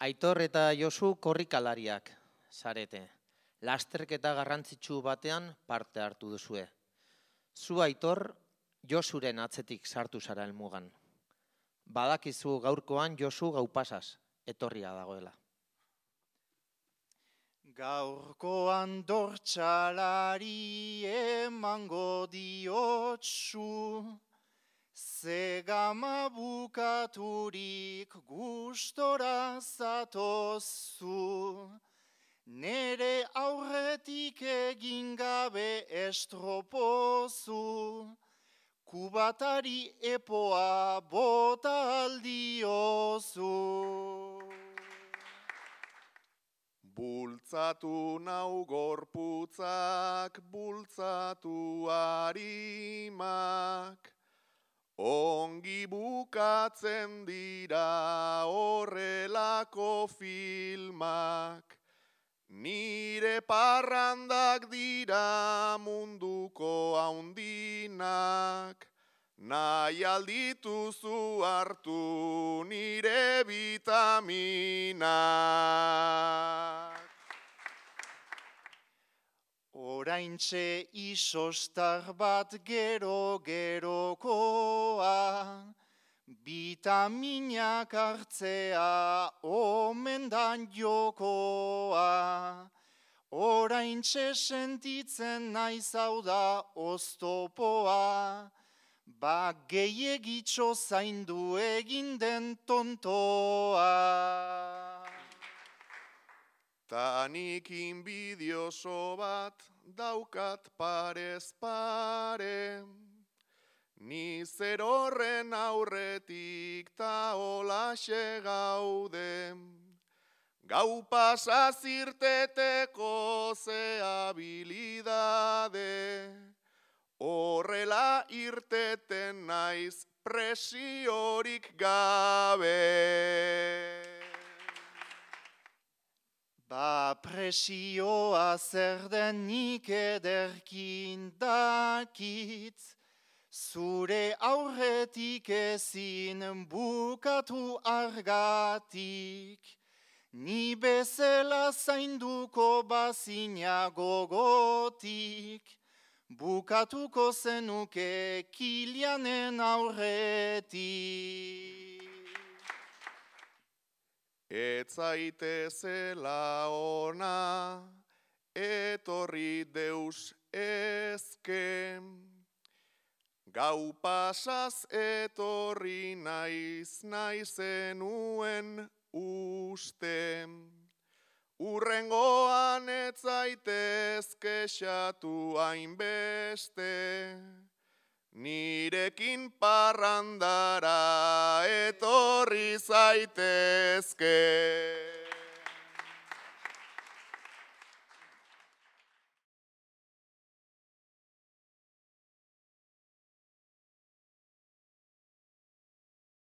Aitor eta Josu korrikalariak zarete. Lasterketa garrantzitsu batean parte hartu duzue. Zu Aitor, Josuren atzetik sartu zara helmugan. Badakizu gaurkoan Josu gaupasaz etorria dagoela. Gaurkoan dortxalari emango diotsu, zegama bukaturik gustora zatozu, nere aurretik egin gabe estropozu, kubatari epoa bota aldiozu. Bultzatu nau gorputzak, bultzatu harimak, ongi bukatzen dira horrelako filmak, nire parrandak dira munduko haundinak, nahi aldituzu hartu nire vitaminak. Oraintxe isostar bat gero-gerokoa, vitaminak hartzea omendan jokoa. Oraintxe sentitzen naiz hau da oztopoa, ba gehiegitxo zaindu egin den tontoa. Tanik inbidioso bat daukat parez pare, ni zer horren aurretik ta holaxe gaude, gau pasaz irteteko ze habilidade, horrela irteten naiz presiorik gabe. Ba presioa zer den nik ederkin dakit, zure aurretik ezin bukatu argatik, ni bezala zainduko bazina gogotik, bukatuko zenuke Kilianen aurretik. Ez zaitezela ona, etorri deus ezke, gau pasaz etorri naizenuen uste, urrengoan ez zaitez kexatu hainbeste, nirekin parrandara etorri zaitezke.